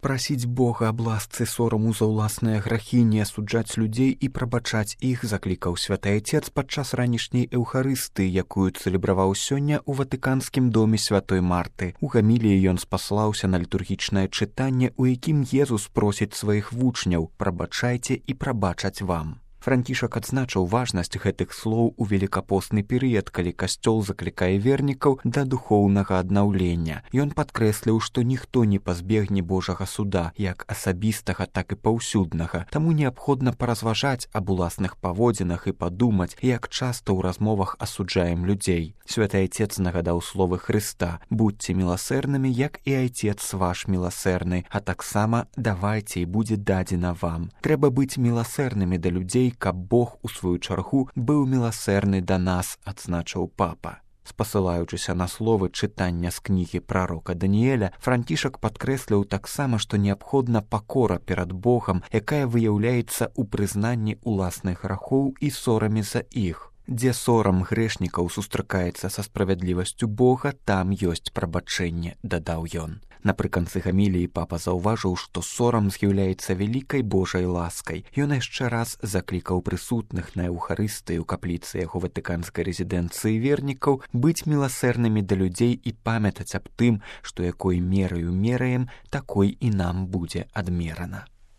Прасіць Бога аб ласцы сораму за ўласныя грахі, не асуджаць людзей і прабачаць іх, заклікаў святы Айцец падчас ранішняй эўхарыстыі, якую цэлебраваў сёння ў Ватыканскім доме святой Марты. У гаміліі ён спаслаўся на літургічнае чытанне, у якім Езус просіць сваіх вучняў: «Прабачайце і прабачаць вам». Францішак адзначыў важнасць гэтых слоў у велікапостны перыяд, калі касцёл заклікае вернікаў да духоўнага аднаўлення. Ён падкрэсліў, што ніхто не пазбегне Божага суда, як асабістага, так і паўсюднага. Таму неабходна паразважаць аб уласных паводзінах і падумаць, як часта ў размовах асуджаем людзей. Святы Айцец нагадаў словы Хрыста: «Будзьце міласэрнымі, як і Айцец ваш міласэрны, а таксама давайце і будзе дадзена вам». Трэба быць міласэрнымі да людзей, каб Бог у сваю чаргу быў міласэрны да нас, адзначыў папа. Спасылаючыся на словы чытання з кнігі прарока Даніэля, Францішак падкрэсліў таксама, што неабходна пакора перад Богам, якая выяўляецца ў прызнанні ўласных грахоў і сораме за іх. Дзе сорам грэшнікаў сустракаецца са справядлівасцю Бога, там ёсць прабачэнне, дадаў ён. Напрыканцы гаміліі папа заўважыў, што сорам з'яўляецца вялікай Божай ласкай. Ён яшчэ раз заклікаў прысутных на эўхарыстыі ў капліцы яго ватыканскай рэзідэнцыі вернікаў быць міласэрнымі да людзей і памятаць аб тым, што якой мераю мераем, такой і нам будзе адмерана.